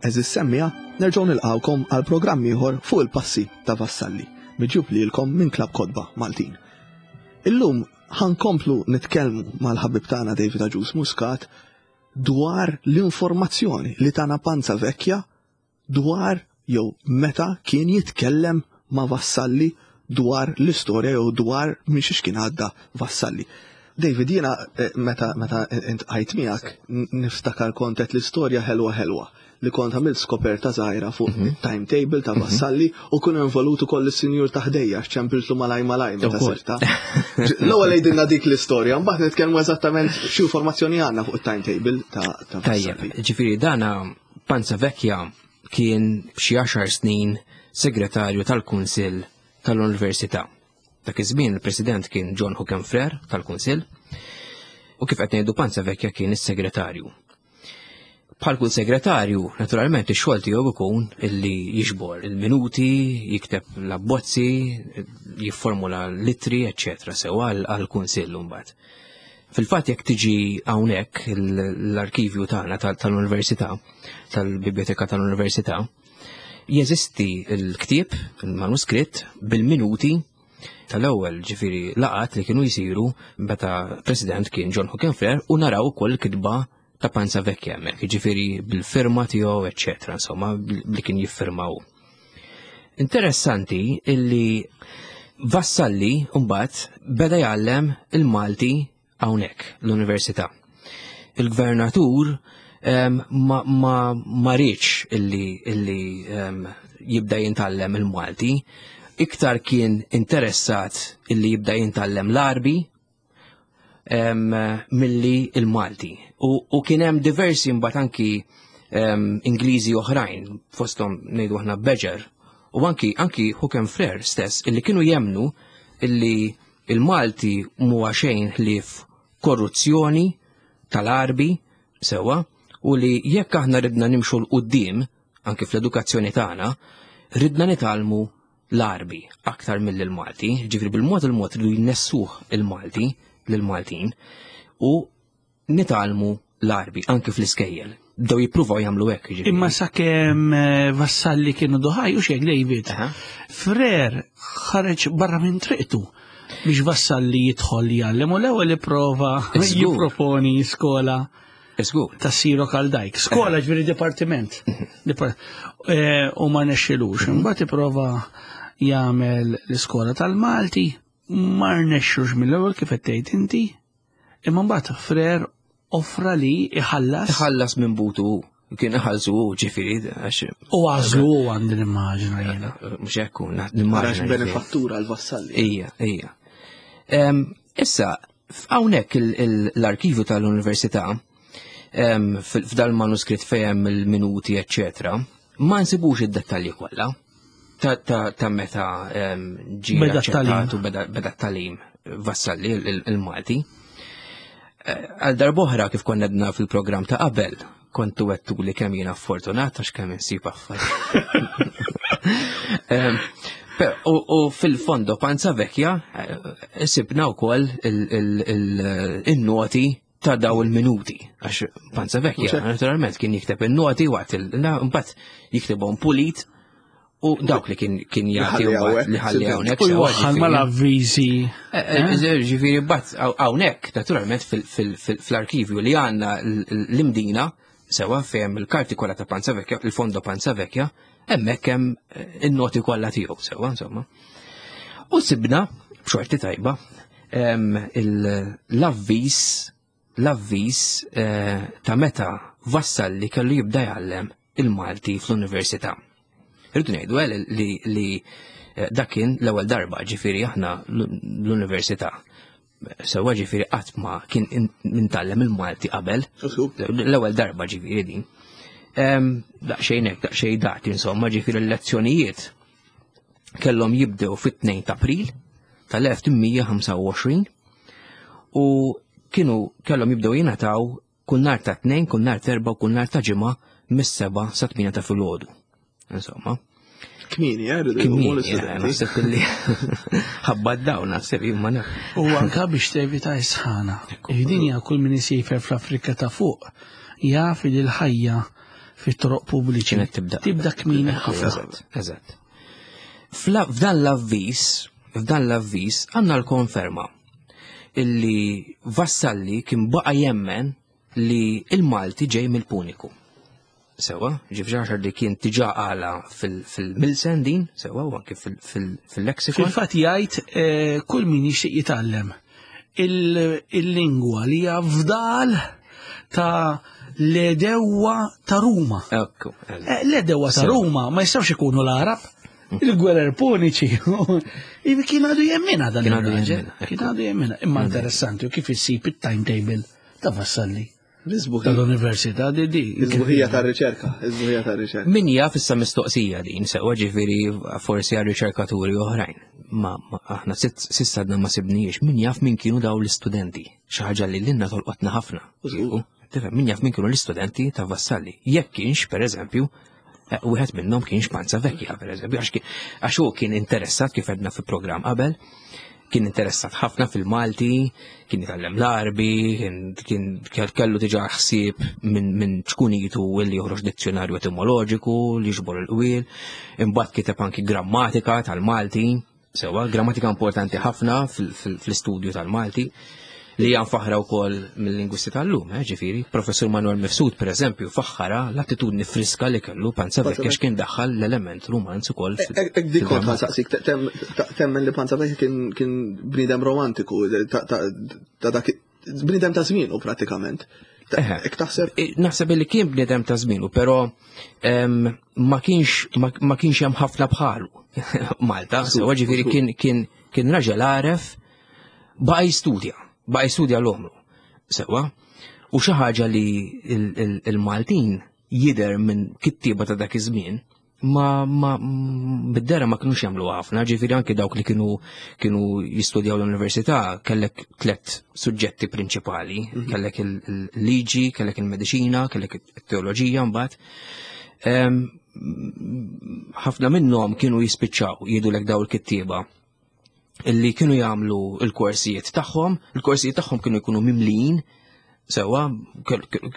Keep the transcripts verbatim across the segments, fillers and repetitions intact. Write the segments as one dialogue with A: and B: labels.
A: Għeżież semmiegħa, nerġgħu nilqgħukom għal programm ieħor fuq il-passi ta' Vassalli, miġjub lilkom minn Klabb Kotba Maltin. Illum ħa nkomplu nitkellmu mal-ħabib tagħna David Agius Muscat dwar l-informazzjoni li tana Panzavecchia dwar jew meta kien jitkellem ma' Vassalli dwar l-istorja jew dwar minn xiex kien għadda Vassalli. David, jiena eh, meta meta iltqajt miegħek niftakar kontet l-istorja ħelwa ħelwa li kont għamilt skoperta żgħira fuq mhm. timetable ta' Vassalli u kun involut ukoll is-sinjur ta' ħdejja ċempiltlu malaj malaj meta sirta. L-ewwel għidilna dik l-istorja, mbagħad nitkellmu eżattament x'informazzjoni għandna fuq it-timetable ta' Vassalli.
B: Tajjeb, ġifieri dana Panzavecchia kien xi għaxar snin segretarju tal-Kunsill tal-Università. Dak iż-żmien il-President kien John Hookham Frere tal-Kunsill u kif qed ngħidu Panzavecchia kien is-segretarju. Bħal kull segretarju, naturalment ix-xogħol tiegħu ikun illi jiġbor il-minuti, jikteb l-abbozzi, jifformula l-ittri, eċċetera, sew għall-Kunsill mbagħad. Fil-fatt jekk tiġi hawnhekk l-arkivju tagħna tal-Università, tal-Biblioteka tal-Università, jeżisti l-ktieb, il-manuskritt bil-minuti tal-ewwel ġifieri laqat li kienu jsiru meta President kien John Hookham Frere u naraw ukoll kitba ta' Panzavecchia hemmhekk, ġifieri bil-firma tiegħu, eċċetera, insomma, li kien jiffirmaw. Interessanti illi Vassalli mbagħad beda jgħallem il-Malti hawnhekk l-università. Il-gvernatur ma, ma, ma riedx illi, illi um, jibda jintgħallem il-Malti, iktar kien interessat illi jibda jintgħallem l-Għarbi milli il-Malti. U, u kien hemm diversi mbagħad anki um, Ingliżi oħrajn, fosthom ngħidu aħna Badger, u anki anki Hookham Frere stess, illi kienu jemnu illi il-Malti mhuwa xejn ħlief korruzzjoni tal-Għarbi sewa u li jekk aħna ridna nimxu 'l quddiem anki fl-edukazzjoni tagħna, ridna nitgħallmu l-Għarbi aktar mill-Malti, ġifieri bil-mod il-mod li jnessuh il-Malti lill-Maltin u nitgħallmu l-Għarbi anki fl-iskejjel. Bdew jippruvaw jagħmlu hekk. Ġifieri.
C: Imma sakemm eh, Vassalli kienu duħaj u xek David. Frere ħareġ barra minn triqtu biex Vassalli jidħol jgħallem u l-ewwel ipprova jipproponi skola ta' Siro Kaldajk. Skola ġifieri dipartiment. Eh, u ma rnexxilux. Mbagħad ipprova jagħmel l-iskola tal-Malti, ma rnexxux mill-ewwel kif qed tgħid inti. Imma mbagħad Frere offra li iħallas.
B: Iħallas minn butu kien iħallsu ġifieri għax.
C: U għażlu għandi nimmaġina jiena.
B: Mhux hekk nimmaġina.
A: Benefattura l-Vassalli.
B: Ija, ija. Issa, hawnhekk l-arkivju tal-Università f'dal manuskritt fejn il-minuti, eċċetera, ma nsibux id-dettalji kollha ta' meta ġie aċċettat u beda t-tagħlim Vassalli il-Malti. Għal darb'oħra kif konna għedna fil-programm ta' qabel, kontu għedtu li kemm jiena fortunat għax kemm insib affarijiet. U fil-fondo Panzavecchia sibna wkoll il-noti ta' daw il-minuti. Għax Panzavecchia naturalment kien jikteb il-noti waqt il-mbagħad jiktibhom pulit u dawk li kien kien jagħti li ħalli hawnhekk.
C: U jwaħħal mal-avviżi.
B: Ġifieri mbagħad hawnhekk naturalment fl-arkivju li għandna l-Imdina sewa fejn il-karti kollha ta' Panzavecchia, il-fondo Panzavecchia, hemmhekk hemm in-noti kollha tiegħu sewa insomma. U sibna b'xorti tajba l-avviż l-avviż ta' meta Vassalli kellu jibda jgħallem il-Malti fl-università. Irridu ngħidu li li dak kien l-ewwel darba ġifieri aħna l-università. Sewa ġifieri qatt ma kien intgħallem il-Malti qabel. L-ewwel darba ġifieri din. Daqsxejn hekk, daqsxejn dati insomma, ġifieri l-lezzjonijiet kellhom jibdew fit-tnejn ta' April tal-elf tmien ħamsa u għoxrin u kienu kellhom jibdew jingħataw kull nhar ta' tnejn, kull nhar ta' erba' u kull nhar ta' ġimgħa mis-seba' sa tmienja ta' filgħodu. Insomma.
A: Kmieni, eh, rridu
B: Kmieni,
A: jqumu
B: eh,
A: l-istudenti.
B: naħseb illi ħabba d-dawn, naħseb jien ma naf.
C: U anka biex tevita s-sħana. Id-dinja kull min isiefer fl-Afrika ta' fuq jaf li l-ħajja fit-toroq pubbliċi.
B: Kienet tibda.
C: Tibda kmieni ħafna.
B: Eżatt, eżatt. Fla- F'dan l-avviż, f'dan l-avviż għandna l-konferma illi Vassalli kien baqa jemmen li il-Malti ġej mill-Puniku. Sewa, ġifġaxar li kien tiġa għala fil-Milsen din, sewa, u anke fil- fil- fil-lexikon.
C: Fil-fatt jgħid eh, kull min jixtieq jitgħallem il- il-lingwa li hija fdal ta' l-edewwa ta' Ruma.
B: Ekku, eżatt.
C: Eh, L-edewwa ta'
B: Sewa.
C: Ruma ma jistgħux ikunu l-Arab, il-gwerer puniċi. Ivi kien għadu jemmina dan
B: Kien għadu
C: ir-raġel.
B: jemmina, ekku.
C: Kien għadu jemmina. Imma interessanti u kif issib it-timetable ta' Vassalli
A: L-isbuħija
C: tal-Università di di.
A: l-isbuħija tar-riċerka, l-isbuħija tar-riċerka.
B: Min jaf issa mistoqsija din, sewa ġifieri forsi għal riċerkaturi oħrajn. Ma, ma aħna sitt- s'issa għadna ma sibniex, min jaf min kienu daw l-istudenti. Xi ħaġa li lilna tolqotna ħafna.
A: Użgur.
B: Tifhem, min jaf min kienu l-istudenti ta' Vassalli. Jekk kienx, per eżempju, eh, wieħed minnhom kienx Panzavecchia, per eżempju, għax kien- għax hu kien interessat kif għedna fi programm qabel, kien interessat ħafna fil-Malti, kien jitgħallem l-Arbi, kien, kien kell- kellu diġà ħsieb minn min ċkunitu li joħroġ dizzjonarju etimoloġiku, li jiġbor il-qwiel, imbagħad kiteb anki grammatika tal-Malti, sewa, grammatika importanti ħafna fil- fil- fl-istudju tal-Malti, li hija mfaħra wkoll mill-lingwisti tal-lum, eh, ġifieri. Professur Manuel Mifsud, per eżempju, faħħara l-attitudni friska li kellu Panzavecchia għax kien daħħal l-element romanz ukoll fil-
A: Ek dik kont
B: fil-grammatika.
A: ħansaqsik, te- tem- ta- temmen li Panzavecchia kien kien bniedem romantiku, ta' ta' ta' dak bniedem ta' żmienu pratikament. Ta-
B: Eħe.
A: Ek taħseb
B: Eh, Naħseb li kien bniedem ta' żmienu, però em, ma kienx ma, ma kienx hemm ħafna bħalu Malta, sewa ġifieri kien kien kien raġel għaref baqa' jistudja, baqa' jistudja l-omru. Sewa, u xi ħaġa li il- il- il-Maltin jidher minn kittieba ta' dak iż-żmien ma ma bid-dera ma kinux jagħmlu ħafna, ġifieri anke dawk li kienu kienu jistudjaw l-università kellek tliet suġġetti prinċipali, kellek il-liġi, kellek il-mediċina, kellek it-teoloġija mbagħad. Em, ħafna minnhom kienu jispiċċaw jgħidulek daw il-kittieba illi kienu jagħmlu il-korsijiet tagħhom, il-korsijiet tagħhom kienu jkunu mimlijin sewa kell- kell-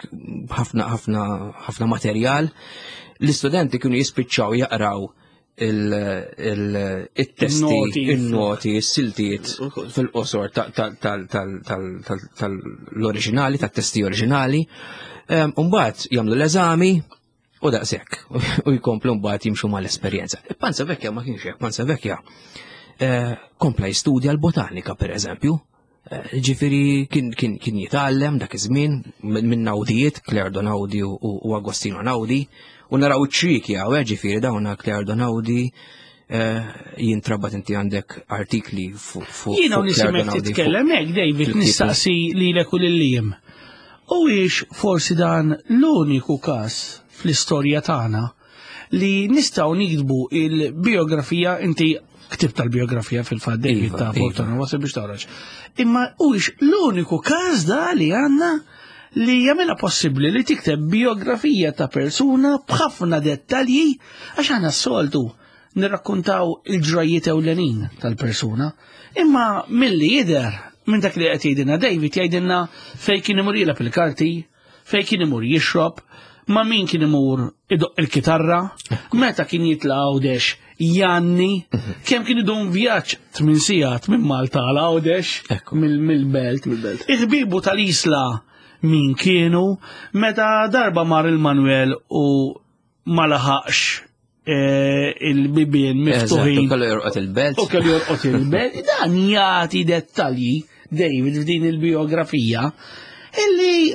B: ħafna ħafna ħafna materjal. L-istudenti kienu jispiċċaw jaqraw il-testi,
C: Il-noti.
B: il-noti, il-siltiet
A: Ukoll.
B: fil-qosor tal-oriġinali, tat-testi oriġinali. Umbagħad jagħmlu l-eżami u daqshekk u jkomplu mbagħad jimxu mal-esperjenza. Panzavecchia ma kienx hekk, Panzavecchia eh, kompla jistudja l-botanika per eżempju. Eh, Ġifieri kien, kien, kien jitgħallem dak iż-żmien minn minn Naudijiet, Claire Naudi u, u Agostino Naudi, u naraw iċ-ċriki hawn, eh, ġifieri dawna Claire Naudi eh, jintrabat inti għandek artikli fuq fu,
C: Jiena
B: fuq Claire
C: nisimek
B: Naudi, fuq-
C: titkellem hekk, David,
B: fil-ktieb.
C: nistaqsi lilek u lil U ix forsi dan l-uniku każ fl-istorja tagħna li nistgħu nikdbu il-biografija inti ktib tal-biografija fil-fatt David
B: Iva,
C: ta'
B: iva.
C: Fortuna wasal biex toħroġ. Imma huwiex l-uniku każ da li għandna li jagħmilha possibbli li tikteb biografija ta' persuna b'ħafna dettalji għax aħna s-soltu nirrakkontaw il-ġrajiet ewlenin tal-persuna. Imma milli jidher minn dak li qed jgħidilna David jgħidilna fejn kien imur jilgħab il-karti, fejn kien imur jixrob, ma' min kien imur idoq il-kitarra, meta kien jitla' Għawdex janni, kemm kien idum vjaġġ tmien sigħat minn Malta għal Għawdex
B: Ekku.
C: mill- mill-belt.
A: Mill-belt.
C: Il-ħbibu tal-Isla min kienu, meta darba mar il-Manuel u ma laħaqx eh, il-bibien
B: Eżatt, u
C: miftuħin
B: kellu jorqod il-belt.
C: u kellu jorqod il-belt, dan jagħti dettalji David f'din il-biografija illi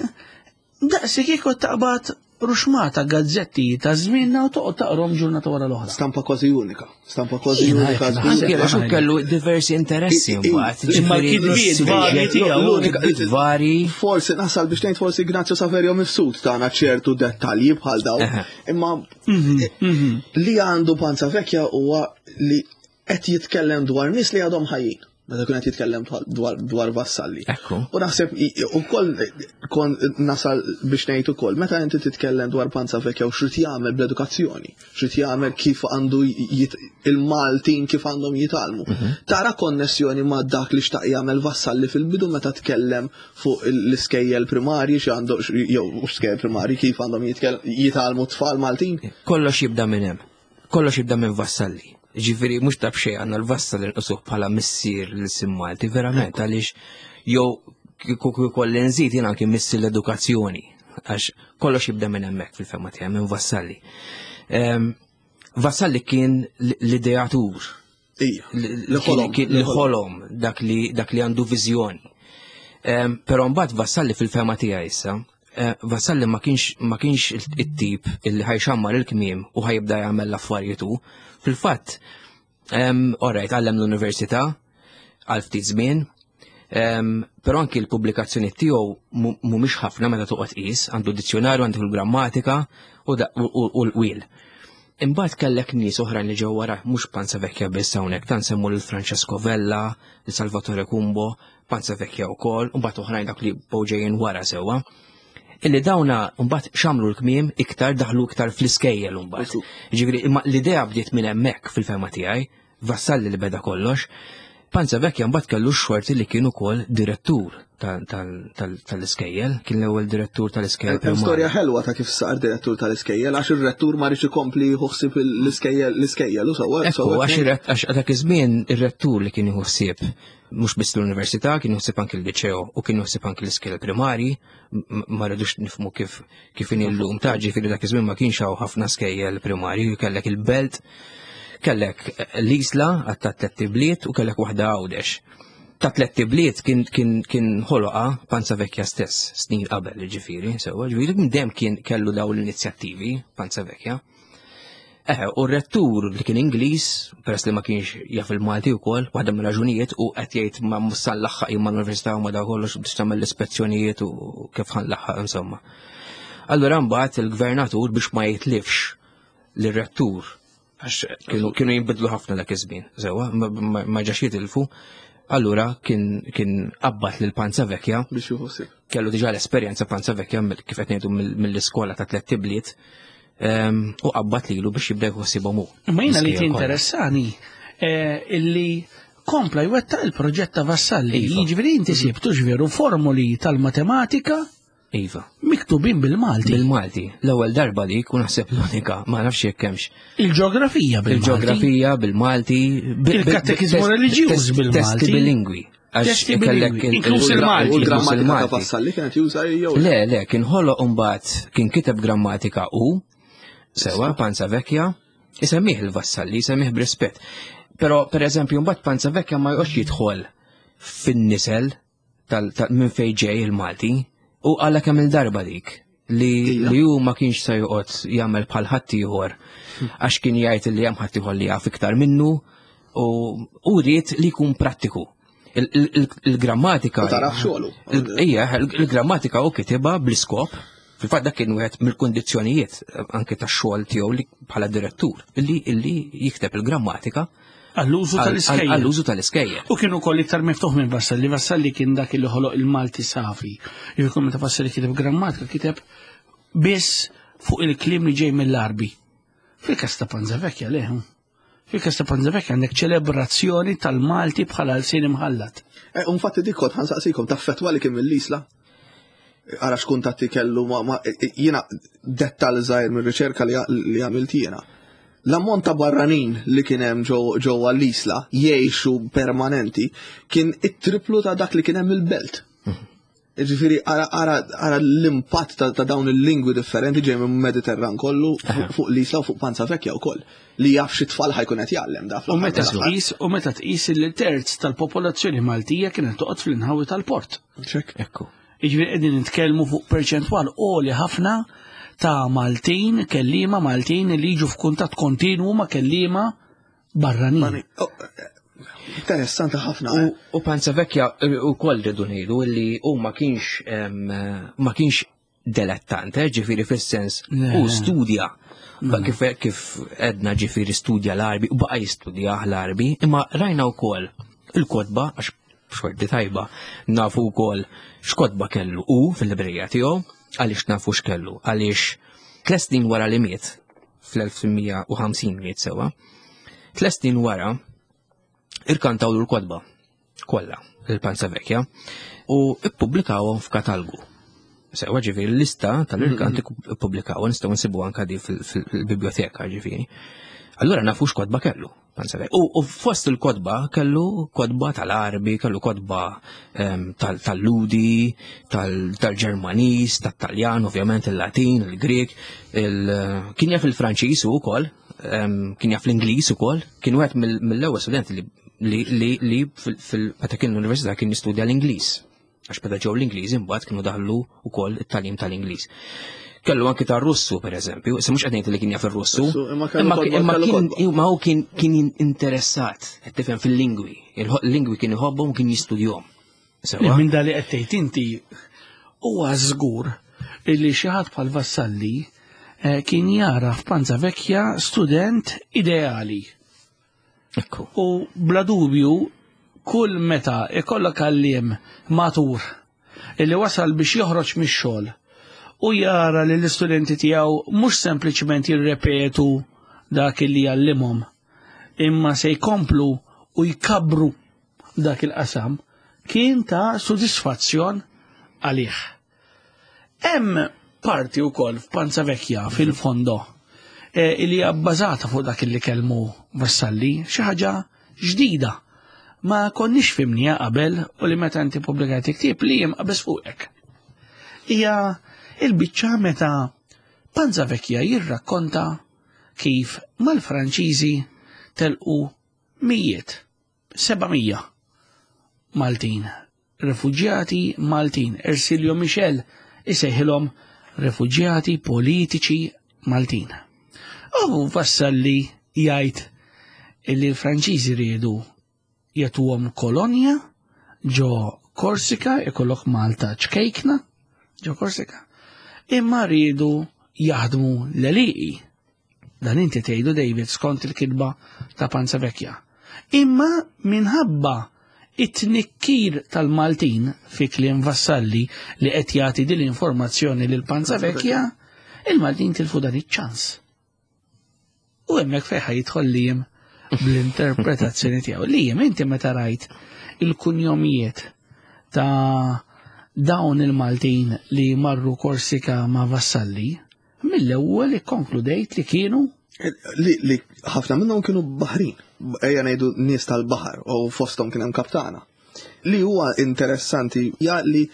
C: daqsi kieku taqbad ruxmata gazzetti ta' żmienna u toqgħod taqrom ġurnata wara l-oħra.
A: Stampa kważi unika. Stampa kważi
C: Jiena
A: unika.
C: qed
A: żgur.
C: naħseb.
B: Anke għax hu kellu diversi interessi
A: I- i-
B: mbagħad.
C: Imma
B: ġifieri
C: l-kitbiet varji tiegħu.
A: L-unika-
B: kitbiet vari.
A: Forsi nasal biex ngħid forsi Ignazio Saverio Mifsud tagħna ċertu dettalji bħal dawn.
B: Eħe.
A: Imma li għandu Panzavecchia huwa li qed jitkellem dwar nies li għadhom ħajjin. Meta kien qed jitkellem dwar, dwar Vassalli.
B: Ekku.
A: U naħseb ukoll kon nasal biex ngħid ukoll, meta inti titkellem dwar Panzavecchia u x'rid jagħmel bl-edukazzjoni, x'rid jagħmel kif għandu il-Maltin kif għandhom jitgħallmu. Mhm. Tara konnessjoni ma' dak li xtaq jagħmel Vassalli fil-bidu meta tkellem fuq l-iskejjel primarji xi għandu jew skejjel primarji kif għandhom jitgħallmu tfal Maltin?
B: Kollox jibda minn hemm. Kollox jibda minn Vassalli. Ġifieri mhux ta' b'xejn għandna l-Vassalli nqisuh bħala missier l-ilsien Malti, verament, għaliex jew kieku kolli nżid jien anki missier l-edukazzjoni, għax kollox jibda minn hemmhekk fil-fehma tiegħi minn Vassalli. Ehm, Vassalli kien l-ideatur. Li ħolom dak li dak li għandu viżjoni. Ehm, però mbagħad Vassalli fil-fehma tiegħi issa, eh, Vassalli ma kienx ma kienx it-tip illi ħajxammar il-kmiem u ħajibda jagħmel l-affarijiet hu. Fil-fatt, alright, għallem l-università għal ftit żmien, però anki l-pubblikazzjoni tiegħu mhumiex ħafna meta toqgħod qis, għandu dizzjonarju, għandu l-grammatika u l-qwiel. Imbagħad kellek nies oħrajn li ġew wara, mhux Panzavecchia biss hawnhekk, ta' nsemmu lil Francesco Vella, lil Salvatore Cumbo, Panzavecchia wkoll, u mbagħad oħrajn dak li bdew ġejjin wara sewwa. Illi dawna mbagħad xamlu l-kmiem iktar daħlu iktar fl-iskejjel mbagħad. Ġifieri imma l-idea bdiet minn hemmhekk fil-fehma tiegħi, Vassalli li beda kollox. Panzavecchia mbagħad kellu x-xorti li kien ukoll direttur tal-iskejjel, kien l-ewwel direttur tal-iskejjel.
A: Hemm storja ħelwa ta' kif sar direttur tal-iskejjel għax ir-rettur ma rridx ikompli jħossib l-iskejjel l-iskejjel u sewwa.
B: Ekku, għax dak iż-żmien ir-rettur li kien jħossib mhux biss l-università, kien jħossib anki l-liċeo u kien jħossib anki l-iskejjel primari, ma rridux nifhmu kif kif inhi llum ta' ġifieri dak iż-żmien ma kienx hawn ħafna skejjel primari, kellek il-Belt, kellek l-Isla għat ta' tliet ibliet u kellek waħda Għawdex. Ta' tliet ibliet kien kien kien ħoloqa Panzavecchia stess snin qabel ġifieri, sewwa, ġifieri minn dejjem kien kellu dawn l-inizjattivi Panzavecchia. Eħe, u r-rettur li kien Ingliż, peress li ma kienx jaf il-Malti wkoll, waħda mir-raġunijiet u qed jgħid ma mhux laħħaq jien mal-università u ma da kollox biex tagħmel l-ispezzjonijiet u kif ħa nlaħħaq insomma. Allura mbagħad il-gvernatur biex ma jitlifx lir-rettur, għax kienu kienu jinbidlu ħafna dak iż-żmien, sewwa, ma ġax jitilfu. Allura kien kien qabbat lil Panzavecchia
A: biex jieħu ħsieb.
B: Kellu diġà l-esperjenza Panzavecchia kif qed ngħidu mill-iskola ta' tliet ibliet. U qabbat lilu biex jibda jħossibhom hu.
C: Imma jiena li tinteressani illi kompla jwettaq il-proġett ta' Vassalli.
B: Iva.
C: Jiġifieri inti sibtu ġveru formuli tal-matematika
B: Iva.
C: Miktubin bil-Malti.
B: Bil-Malti. L-ewwel darba dik u naħseb l-unika, ma nafx jekk hemmx.
C: Il-ġeografija bil-Malti.
B: Il-ġeografija bil-Malti.
C: Il-katekiżmu reliġjuż bil-Malti.
B: Testi bilingwi. Għax
C: Testi
B: kellek
C: bilingwi.
B: il-
C: Inkluż
B: il-
C: il-Malti.
A: U l-grammatika ta'
B: il-Malti.
A: Vassalli kienet juża jew
B: Le, le, kien ħoloq imbagħad kien kiteb grammatika u sewa Panzavecchia, isemmih il-Vassalli, isemmih b'rispett. Però per eżempju mbagħad Panzavecchia ma joqgħodx jidħol fin-nisel tal, tal minn fejn ġej il-Malti u għala kemm il-darba dik li, li hu ma kienx se joqgħod jagħmel bħal ħaddieħor għax kien jgħid li hemm ħaddieħor li jaf iktar minnu u u ried li jkun prattiku. Il-grammatika.
A: U taraf xogħlu.
B: Ija, il-grammatika u kitibha bl-iskop. Fil-fatt dak kien wieħed mill-kundizzjonijiet anke tax-xogħol tiegħu li bħala direttur illi illi jikteb il-grammatika
C: Għall-użu tal-iskejjel.
B: Għall-użu tal-iskejjel.
C: U kienu wkoll iktar miftuħ minn Vassalli. Vassalli kien dak li ħoloq il-Malti safi. Jekk meta Vassalli kiteb grammatika kiteb biss fuq il-kliem li ġej mill-Arbi. Fil-każ ta' Panzavecchia le. Fil-każ ta' Panzavecchia għandek ċelebrazzjoni tal-Malti bħala lsien imħallat.
A: Eh, infatti dik kont ħansaqsikom taffetwa li kien mill-Isla. Ara x'kuntatti kellu ma, ma jiena dettal żgħir mir-riċerka li li għamilt jiena. L-ammont ta' barranin li kien hemm ġewwa l-Isla jgħixu permanenti kien it-triplu ta' dak li kien hemm il-Belt. Ġifieri ara, ara, ara l-impatt ta', ta' dawn il-lingwi differenti ġej minn Mediterran kollu fuq l-Isla u fuq Panzavecchia wkoll li jaf xi tfal ħajkun qed jgħallem da
C: U meta tqis u meta tqis li terz tal-popolazzjoni Maltija kienet toqgħod fl-inħawi tal-port.
A: Ċek.
B: Ekku.
C: Jiġifieri qegħdin nitkellmu fuq perċentwal għoli ħafna ta' Maltin, kelliema Maltin li jiġu f'kuntatt kontinwu ma' kelliema barranin.
A: Oh, interessanti ħafna.
B: U, u Panzavecchia u koll rridu ngħidu li hu ma kienx ma kienx dilettante, ġifieri fis-sens u studja. Kif, kif edna ġifieri studja l-Arbi u baqa' jistudja l-Arbi, imma rajna wkoll Il-kotba, għax xorti tajba, nafu wkoll x'kotba kellu u fil-librerija tiegħu, għaliex nafu x'kellu, għaliex tliet snin wara li miet, fl-elf tmien u ħamsin miet sewa, tliet snin wara irkantawlu l-kotba kollha il-Panzavecchia u ippubblikawhom f'katalgu. Sewa ġifieri l-lista tal-irkanti ippubblikawhom, nistgħu nsibu anke di fil-biblioteka ġifieri. Allura nafu x'kotba kellu. U, u fost il-kotba kellu kotba tal-Arbi, kellu kotba ehm, tal-Ludi, tal-Ġermaniż, tat-Taljan, ovvjament il-Latin, il-Grek, kien jaf il-Franċiż ukoll, ehm, kien jaf l-Ingliż ukoll, kien wieħed mill-ewwel studenti li li li meta kien l-università kien jistudja l-Ingliż. Għax meta ġew l-Ingliż imbagħad kienu daħlu wkoll it-tagħlim tal-Ingliż. Kellu anki ta' Russu, per eżempju, issa mhux qed ngħid li kien jaf ir-Russu,
A: imma
B: kien imma hu kien kien interessat, qed tifhem fil-lingwi. Il-lingwi kien iħobbhom kien jistudjhom.
C: Minn dali qed tgħid inti huwa żgur illi xi ħadd bħal Vassalli eh, kien jara f'Panzavecchia student ideali.
B: Ekku.
C: U bla dubju kull meta ikollok għalliem matur illi wasal biex joħroġ mix-xogħol u jara li l-istudenti tiegħu mhux sempliċement jirrepetu dak li jgħallimhom, imma se jkomplu u jkabru dak il-qasam, kien ta' sodisfazzjon għalih. Hemm parti wkoll f'Panzavecchia fil-fondo eh, li hija bbażata fuq dak li kellmu Vassalli, xi ħaġa ġdida. Ma konniex fimnija qabel u li meta inti pubblikajt ktieb li jiem qabeż fuqek. Hija il-biċċa meta Panzavecchia jirrakkonta kif mal-Franċiżi telqu mijiet, seba' mija Maltin, refuġjati Maltin. Ersilio Michel isejħilhom refuġjati politiċi Maltin. U Vassalli jgħid illi l-Franċiżi riedu jagħtuhom kolonja ġo Korsika, ikollok Malta ċkejkna ġo Korsika, imma riedu jaħdmu l-għelieqi. Dan inti tgħidu David skont il-kitba ta' Panzavecchia. Imma minħabba it-tnikkir tal-Maltin fi kliem Vassalli li qed jagħti din l-informazzjoni lil Panzavecchia, il-Maltin tilfu dan iċ-ċans. U hemmhekk fejn jidħol Liam bl-interpretazzjoni tiegħu. Liam, inti meta rajt il-kunjomijiet ta' dawn il-Maltin li marru Korsika ma' Vassalli, mill-ewwel ikkonkludejt li kienu
A: li, li ħafna minnhom kienu baħrin, ejja ngħidu nies tal-baħar u fosthom kien hemm kaptana. Li huwa interessanti ja li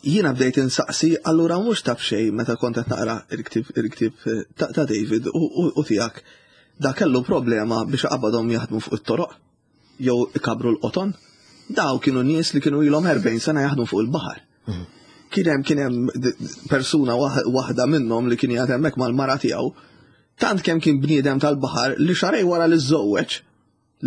A: jiena bdejt insaqsi allura mhux taf xejn meta kont qed naqra il-ktieb il-ktieb ta', ta' David u, u, u tiegħek da kellu problema biex qabadhom jaħdmu fuq it-toroq jew ikabru l-qoton. Daw kienu nies li kienu ilhom erbgħin sena jaħdmu fuq il-baħar. Kien hemm kien hemm persuna waħda minnhom li kien jgħid hemmhekk mal-mara tiegħu, tant kemm kien bniedem tal-baħar li xarej wara li żżewweġ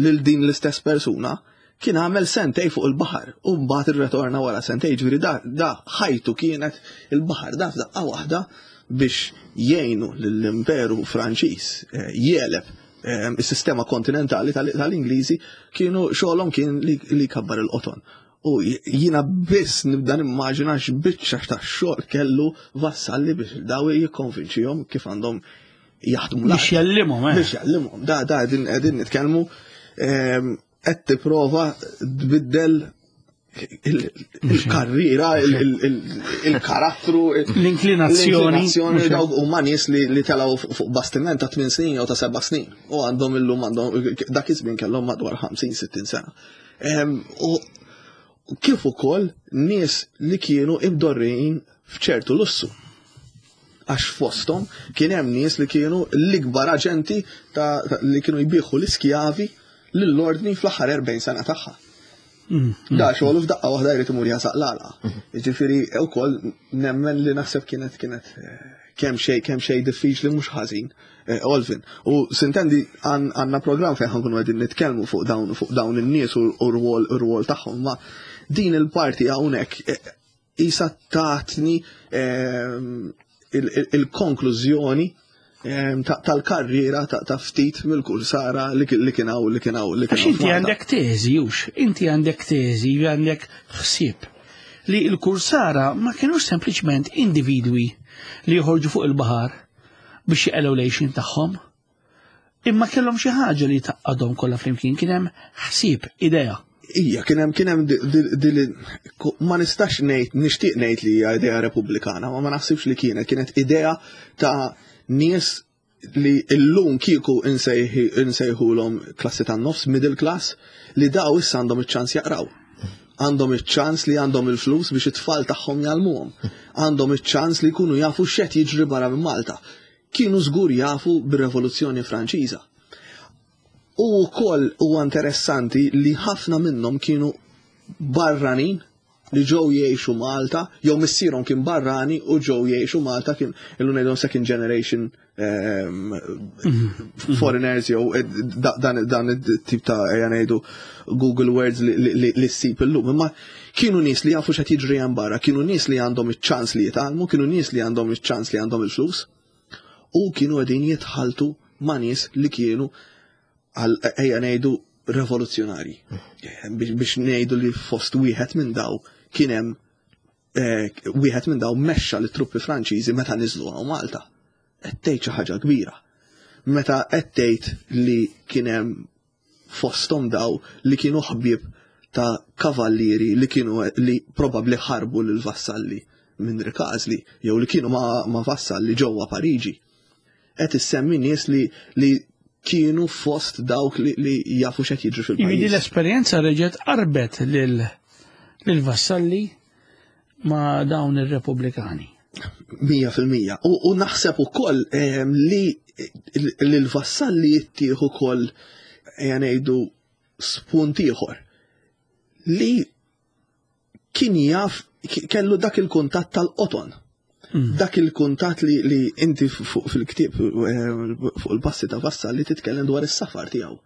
A: lil din l-istess persuna kien għamel sentej fuq il-baħar u mbagħad irretorna wara sentej, ġifieri da, da ħajtu kienet il-baħar, da f'daqqa waħda biex jgħinu lill-Imperu Franċiż eh, jeleb eh, is-sistema kontinentali tal-Ingliżi, kienu xogħolhom kien li, li kabbar il-qoton. U jiena biss nibda nimmaġina x'biċċa ta' xogħol kellu Vassalli biex daw jikkonvinċihom kif għandhom jaħdmu
C: l-art. Biex jallimhom, eh.
A: Biex jallimhom. Da, da, qegħdin qegħdin nitkellmu ehm, qed tipprova tbiddel il-karriera, il-karattru,
C: l-inklinazzjoni.
A: L-inklinazzjoni dawk huma nies li telgħu fuq bastiment ta' tmien snin jew ta' seba' snin. U għandhom illum għandhom dak iż-żmien kellhom madwar ħamsin sittin sena. Ehm, u kif ukoll nies li kienu imdorrijin f'ċertu lussu. Għax fosthom kien hemm nies li kienu l-ikbar aġenti ta' li kienu jbieħu l-iskjavi lill-ordni fl-aħħar erbgħin sena tagħha.
C: Mm, mm.
A: Da xogħol f'daqqa waħda jrid imur jasaq l-għalqa. Jiġifieri wkoll nemmen li naħseb kienet kienet eh, kemm xejn kemm xejn diffiċli mhux ħażin. Eh, Olvin, u sintendi għandna programm fejn ħankunu qegħdin nitkellmu fuq dawn fuq dawn in-nies u r-rwol r-rwol tagħhom, ma din il-parti hawnhekk eh, isa tatni ehm, il-konklużjoni tal-karriera ta' ftit mill-kursara li kien hawn li kien hawn li kien
C: hawn. Inti għandek teżi, hux, inti għandek teżi, għandek ħsieb li l-kursara ma kienux sempliċement individwi li joħorġu fuq il-baħar biex jeqgħu lejxin tagħhom, imma kellhom xi ħaġa li taqgħadhom kollha flimkien, kien hemm ħsieb, idea.
A: Ija, kien hemm kien hemm ma nistax ngħid, nixtieq ngħid li hija idea repubblikana, ma ma naħsibx li kienet, kienet idea ta' nies li llum kieku insejħulhom klassi tan-nofs, middle class, li daw issa għandhom iċ-ċans jaqraw. Għandhom iċ-ċans li għandhom il-flus biex it-tfal tagħhom jgħallmuhom. Għandhom iċ-ċans li jkunu jafu x'qed jiġri barra minn Malta. Kienu żgur jafu bir-Revoluzzjoni Franċiża. U wkoll huwa interessanti li ħafna minnhom kienu barranin li ġew jgħixu Malta, jew missierhom kien barrani u ġew jgħixu Malta, kien illum ngħidhom second generation um, foreigners, jew dan dan it-tip ta' ejja ngħidu Google Words li, li, li ssib illum. Imma kienu nies li jafu x'qed jiġri hemm barra, kienu nies li għandhom iċ-ċans li jitgħallmu, kienu nies li għandhom iċ-ċans li għandhom il-flus, u kienu qegħdin jitħaltu ma' nies li kienu għal ejja ngħidu revoluzzjonari. Biex ngħidu li fost wieħed minn daw kien hemm wieħed minn daw mexxa lit-truppi Franċiżi meta niżlu hawn Malta. Qed tgħid xi ħaġa kbira. Meta qed tgħid li kien hemm fosthom daw li kienu ħbieb ta' kavallieri li kienu li probabbli ħarbu lil Vassalli minn Rikażli jew li kienu ma', ma Vassalli ġewwa Pariġi. Qed issemmi nies li, li kienu fost dawk li, li jafu x'qed jiġri fil-pajjiż.
C: Jiġifieri l-esperjenza reġgħet qarbet lil lil Vassalli ma' dawn ir-Repubblikani.
A: Mija fil-mija. U, u naħseb ukoll eh, li l-Vassalli jittieħu ukoll ejja ngħidu spunt ieħor li kien jaf kellu dak il-kuntatt tal-qoton. Mm. Dak il-kuntatt li, li inti fuq fil-ktieb fuq il-passi ta' Vassalli titkellem dwar is-safar tiegħu.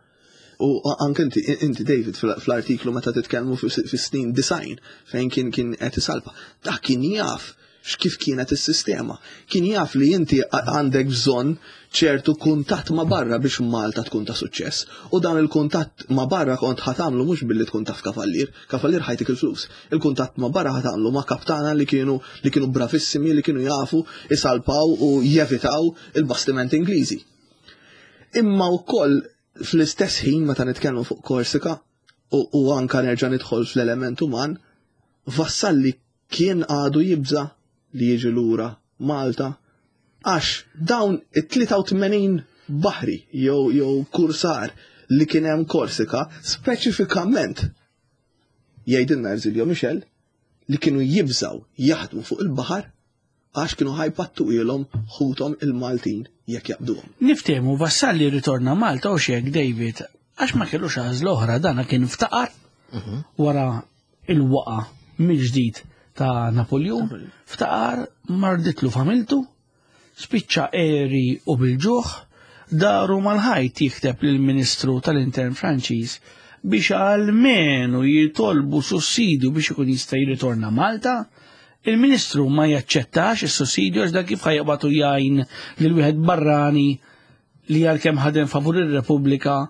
A: U anke inti, inti David fl-artiklu meta titkellmu fis-snin design fejn kien kien qed isalpa. Dak kien jaf x'kif kienet is-sistema. Kien jaf li inti għandek bżonn ċertu kuntatt ma' barra biex Malta tkun ta' suċċess. U dan il-kuntatt ma' barra kont ħatamlu mhux billi tkun taf kavallier, kavallier ħajtik il-flus. Il-kuntatt ma' barra ħatamlu ma' kaptana li kienu li kienu bravissimi, li kienu jafu isalpaw u jevitaw il-bastiment Ingliżi. Imma wkoll fl-istess ħin meta nitkellmu fuq Korsika u, u anka nerġa' nidħol fl-element uman, Vassalli kien għadu jibża li jiġi lura Malta għax dawn it-tlieta u tmenin baħri jew jew kursar li kien hemm Korsika speċifikament jgħidilna Ersilio Michel li kienu jibżaw jaħdmu fuq il-baħar għax kienu ħajpattu ilhom ħuthom il-Maltin jekk jaqbduhom.
C: Niftehmu Vassalli ritorna Malta u xek David għax ma kellux għażla oħra, dana kien ftaqar wara il-waqa mill-ġdid ta' Napoleon, ftaqar marditlu familtu, spiċċa eri u bil-ġuħ, daru mal-ħajt jikteb lill-Ministru tal-Intern Franċiż biex almenu jitolbu sussidju biex ikun jista' jirritorna Malta. Il-Ministru ma jaċċettax is-sussidju għax dak kif ħajqbatu jgħin lil wieħed barrani li għalkemm ħadem favur ir-Repubblika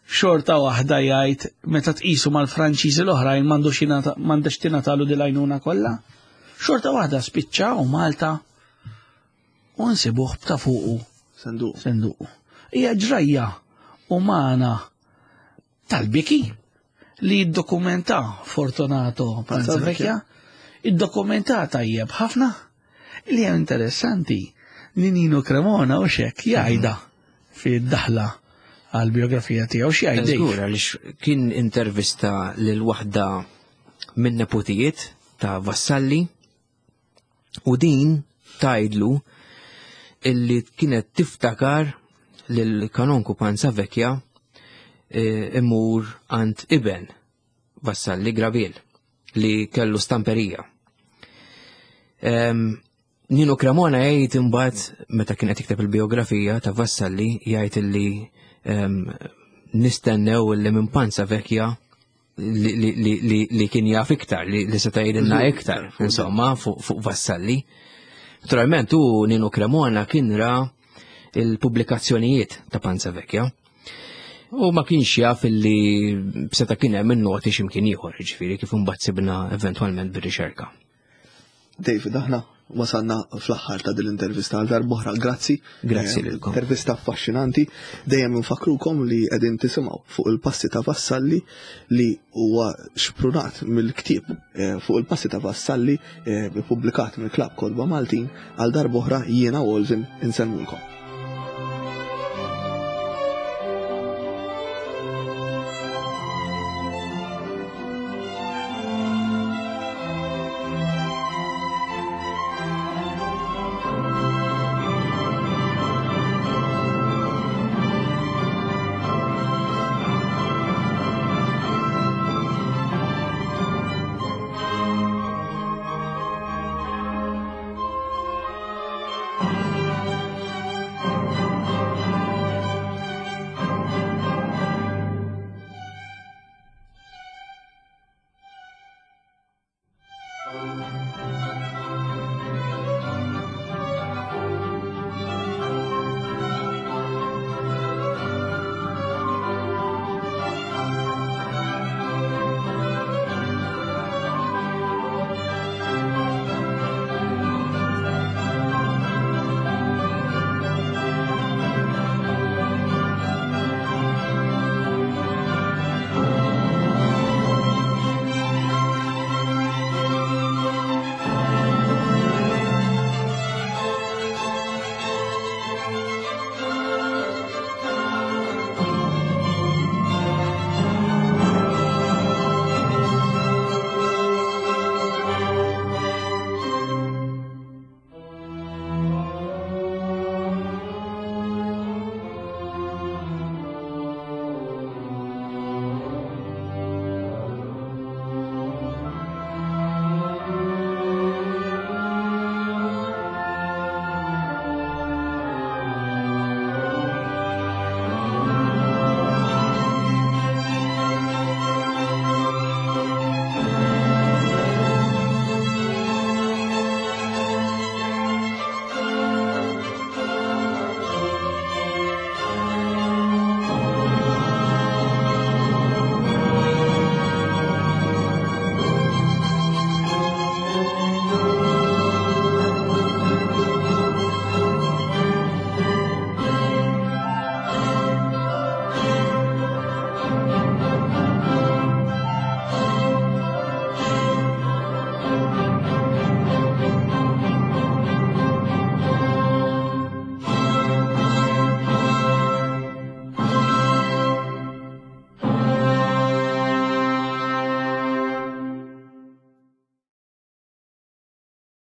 C: xorta waħda jgħid meta tqisu mal-Franċiżi l-oħrajn m'għandux jingħata, m'għandux tingħatalu din l-għajnuna kollha. Xorta waħda spiċċa u Malta u nsibuh b'ta' fuqu.
A: Senduq.
C: Senduq. Hija ġrajja umana tal-biki li ddokumenta Fortunato Panzavecchia, iddokumenta tajjeb ħafna. Li hija interessanti li Nino Cremona u xek jgħidha fid-daħla għal-biografija tiegħu xi jgħid.
B: Żgur, għaliex kien intervista lil waħda minn nepotijiet ta' Vassalli u din tgħidlu illi kienet tiftakar lil kanonku Panzavecchia imur għand iben Vassalli Grabiel li kellu stamperija. Nino Cremona jgħid imbagħad meta kien qed jikteb il-biografija ta' Vassalli jgħid illi nistennew illi minn Panzavecchia li, li, li, li, li kien jaf iktar, li, li seta' jgħidilna iktar, insomma, fuq, fuq Vassalli. Naturalment, u Nino Cremona kien ra il-pubblikazzjonijiet ta' Panzavecchia. U ma kienx jaf illi seta' kien hemm in-noti x'imkien ieħor, jiġifieri kif imbagħad sibna eventwalment bir-riċerka.
A: David, aħna wasalna fl-aħħar ta' din l-intervista għal darb'oħra. Grazzi.
B: Grazzi
A: Eh,
B: lilkom.
A: Intervista affaxxinanti. Dejjem nfakrukom li qegħdin tisimgħu fuq il-passi ta' Vassalli li huwa xprunat mill-ktieb eh, fuq il-passi ta' Vassalli eh, ippubblikat mill-Klabb Kotba Maltin għal darb'oħra jiena u Olvin insellmulkom.